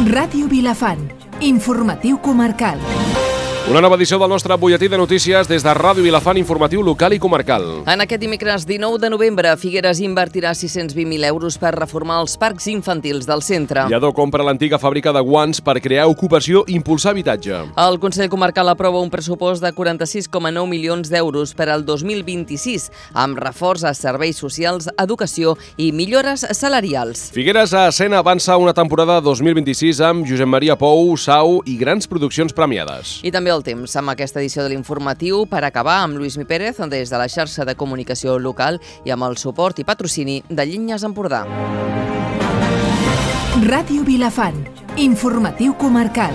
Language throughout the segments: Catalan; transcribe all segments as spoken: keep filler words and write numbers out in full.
Ràdio Vilafant, informatiu comarcal. Una nova edició del nostre butlletí de notícies des de Ràdio Vilafant, informatiu local i comarcal. En aquest dimecres dinou de novembre, Figueres invertirà sis-cents vint mil euros per reformar els parcs infantils del centre. Lledó compra l'antiga fàbrica de guants per crear ocupació i impulsar habitatge. El Consell Comarcal aprova un pressupost de quaranta-sis coma nou milions d'euros per al dos mil vint-i-sis, amb reforç a serveis socials, educació i millores salarials. Figueres a escena avança una temporada dos mil vint-i-sis amb Josep Maria Pou, Sau i grans produccions premiades. I també el temps amb aquesta edició de l'informatiu per acabar amb Lluís Mi Pérez des de la xarxa de comunicació local i amb el suport i patrocini de Llinyes Empordà. Ràdio Vilafant, informatiu comarcal.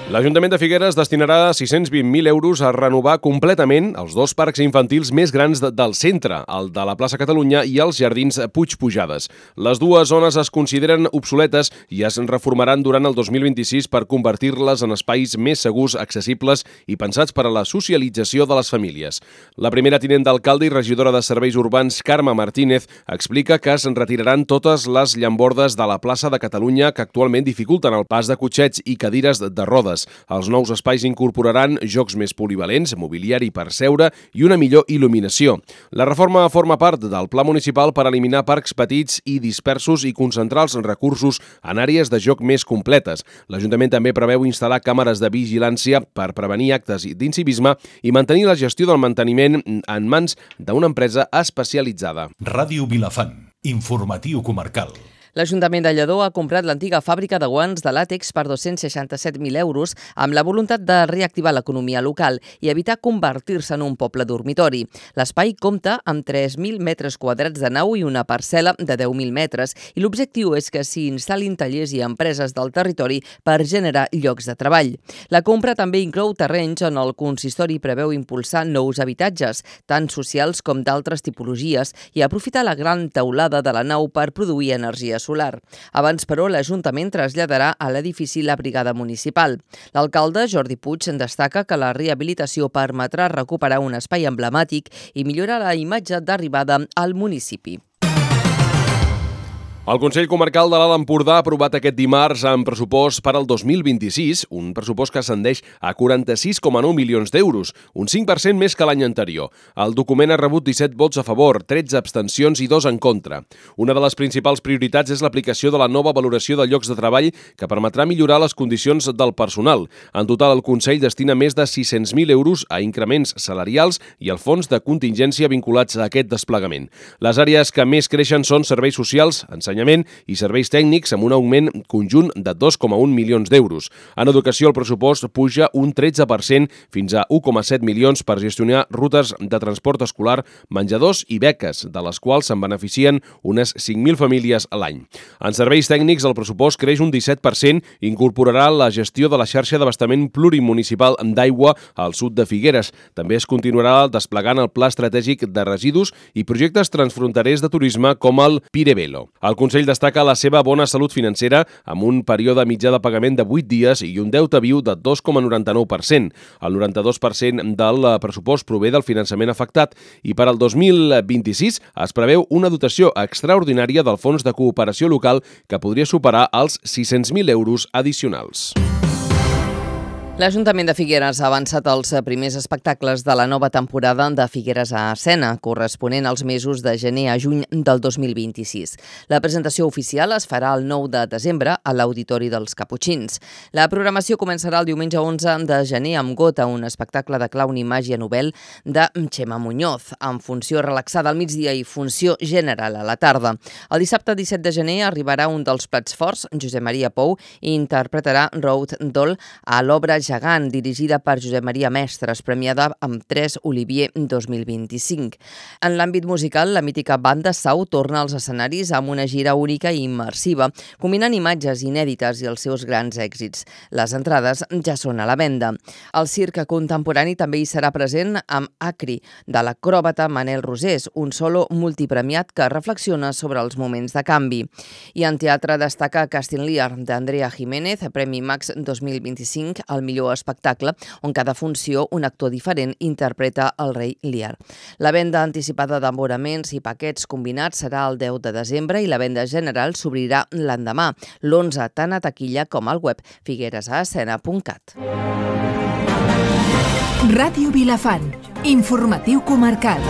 L'Ajuntament de Figueres destinarà sis-cents vint mil euros a renovar completament els dos parcs infantils més grans de, del centre, el de la plaça Catalunya i els jardins Puig Pujades. Les dues zones es consideren obsoletes i es reformaran durant el dos mil vint-i-sis per convertir-les en espais més segurs, accessibles i pensats per a la socialització de les famílies. La primera tinent d'alcalde i regidora de Serveis Urbans, Carme Martínez, explica que es retiraran totes les llambordes de la plaça de Catalunya que actualment dificulten el pas de cotxets i cadires de rodes. Els nous espais incorporaran jocs més polivalents, mobiliari per seure i una millor il·luminació. La reforma forma part del Pla Municipal per eliminar parcs petits i dispersos i concentrar els recursos en àrees de joc més completes. L'Ajuntament també preveu instal·lar càmeres de vigilància per prevenir actes d'incivisme i mantenir la gestió del manteniment en mans d'una empresa especialitzada. Ràdio Vilafant, informatiu comarcal. L'Ajuntament de Lledó ha comprat l'antiga fàbrica de guants de làtex per dos-cents seixanta-set mil euros amb la voluntat de reactivar l'economia local i evitar convertir-se en un poble dormitori. L'espai compta amb tres mil metres quadrats de nau i una parcel·la de deu mil metres i l'objectiu és que s'hi instal·lin tallers i empreses del territori per generar llocs de treball. La compra també inclou terrenys on el consistori preveu impulsar nous habitatges, tant socials com d'altres tipologies, i aprofitar la gran teulada de la nau per produir energia solar. Abans, però, l'Ajuntament traslladarà a l'edifici la brigada municipal. L'alcalde, Jordi Puig, destaca que la rehabilitació permetrà recuperar un espai emblemàtic i millorar la imatge d'arribada al municipi. El Consell Comarcal de l'Alt Empordà ha aprovat aquest dimarts amb pressupost per al dos mil vint-i-sis, un pressupost que ascendeix a quaranta-sis coma nou milions d'euros, un cinc per cent més que l'any anterior. El document ha rebut disset vots a favor, tretze abstencions i dos en contra. Una de les principals prioritats és l'aplicació de la nova valoració de llocs de treball que permetrà millorar les condicions del personal. En total, el Consell destina més de sis-cents mil euros a increments salarials i al fons de contingència vinculats a aquest desplegament. Les àrees que més creixen són serveis socials, ensenyament i serveis tècnics amb un augment conjunt de dos coma un milions d'euros. En educació, el pressupost puja un tretze per cent fins a un coma set milions per gestionar rutes de transport escolar, menjadors i beques, de les quals se'n beneficien unes cinc mil famílies a l'any. En serveis tècnics, el pressupost creix un disset per cent i incorporarà la gestió de la xarxa d'abastament plurimunicipal d'aigua al sud de Figueres. També es continuarà desplegant el Pla Estratègic de Residus i projectes transfronterers de turisme com el Pirevelo. El Consell destaca la seva bona salut financera amb un període mitjà de pagament de vuit dies i un deute viu de dos coma noranta-nou per cent. El noranta-dos per cent del pressupost prové del finançament afectat i per al dos mil vint-i-sis es preveu una dotació extraordinària del Fons de Cooperació Local que podria superar els sis-cents mil euros addicionals. L'Ajuntament de Figueres ha avançat els primers espectacles de la nova temporada de Figueres a escena, corresponent als mesos de gener a juny del dos mil vint-i-sis. La presentació oficial es farà el nou de desembre a l'Auditori dels Caputxins. La programació començarà el diumenge onze de gener amb Gota, un espectacle de clown i màgia novel de Xema Muñoz, amb funció relaxada al migdia i funció general a la tarda. El dissabte disset de gener arribarà un dels plats forts, Josep Maria Pou, i interpretarà Road Doll a l'obra gegant, dirigida per Josep Maria Mestres, premiada amb tres Olivier dos mil vint-i-cinc. En l'àmbit musical, la mítica banda Sau torna als escenaris amb una gira única i immersiva, combinant imatges inèdites i els seus grans èxits. Les entrades ja són a la venda. El circ contemporani també hi serà present amb Acri, de l'acròbata Manel Rosés, un solo multipremiat que reflexiona sobre els moments de canvi. I en teatre destaca Casting Lear, d'Andrea Jiménez, Premi Max dos mil vint-i-cinc, al millor millor espectacle, on cada funció un actor diferent interpreta el rei Lear. La venda anticipada d'abonaments i paquets combinats serà el deu de desembre i la venda general s'obrirà l'endemà, l'onze, tant a taquilla com al web figueres a escena punt cat. Ràdio Vilafant, informatiu comarcal.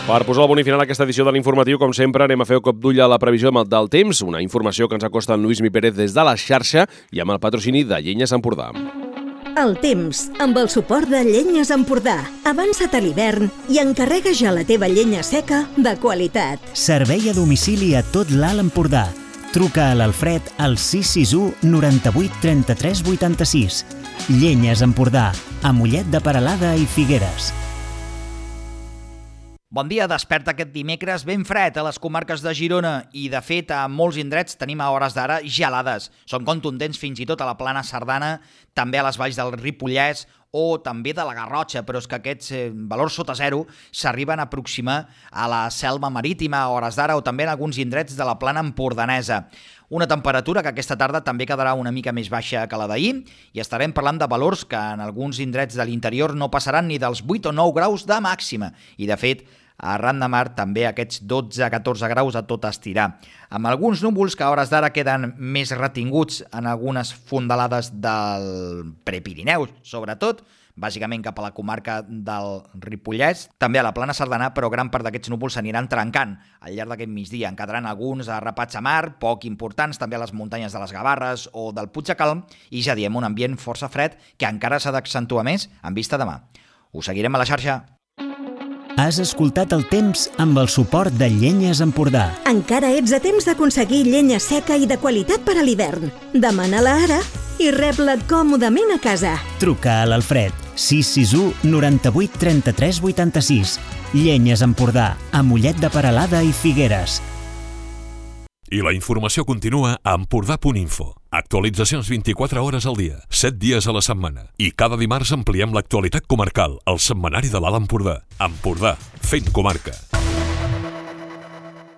Per posar el punt final a aquesta edició de l'informatiu, com sempre, anem a fer un cop d'ull a la previsió del temps, una informació que ens acosta en Lluís Mi Pérez des de la xarxa i amb el patrocini de Llenyes Empordà. El temps, amb el suport de Llenyes Empordà. Avança't a l'hivern i encarrega ja la teva llenya seca de qualitat. Servei a domicili a tot l'Alt Empordà. Truca a l'Alfred al sis sis u noranta-vuit trenta-tres vuitanta-sis. Llenyes Empordà, a Mollet de Peralada i Figueres. Bon dia, desperta aquest dimecres ben fred a les comarques de Girona i, de fet, a molts indrets tenim a hores d'ara gelades. Són contundents fins i tot a la plana Cerdana, també a les valls del Ripollès o també de la Garrotxa, però és que aquests eh, valors sota zero s'arriben a aproximar a la selva marítima a hores d'ara o també en alguns indrets de la plana empordanesa. Una temperatura que aquesta tarda també quedarà una mica més baixa que la d'ahir i estarem parlant de valors que en alguns indrets de l'interior no passaran ni dels vuit o nou graus de màxima i, de fet, arran de mar també aquests dotze a catorze graus a tot estirar. Amb alguns núvols que a hores d'ara queden més retinguts en algunes fondalades del Prepirineu, sobretot, bàsicament cap a la comarca del Ripollès, també a la plana Cerdana, però gran part d'aquests núvols s'aniran trencant al llarg d'aquest migdia. En quedaran alguns arrapats a mar, poc importants, també a les muntanyes de les Gavarres o del Puigdecalm, i ja diem un ambient força fred que encara s'ha d'accentuar més en vista demà. Us seguirem a la xarxa. Has escoltat el temps amb el suport de Llenyes Empordà. Encara ets a temps d'aconseguir llenya seca i de qualitat per a l'hivern. Demana-la ara i rep-la còmodament a casa. Truca a l'Alfred sis sis u noranta-vuit trenta-tres vuitanta-sis. Llenyes Empordà, a Mollet de Peralada i Figueres. I la informació continua a empordà punt info. Actualitzacions vint-i-quatre hores al dia, set dies a la setmana. I cada dimarts ampliem l'actualitat comarcal, al setmanari de l'Alt Empordà. Empordà, fent comarca.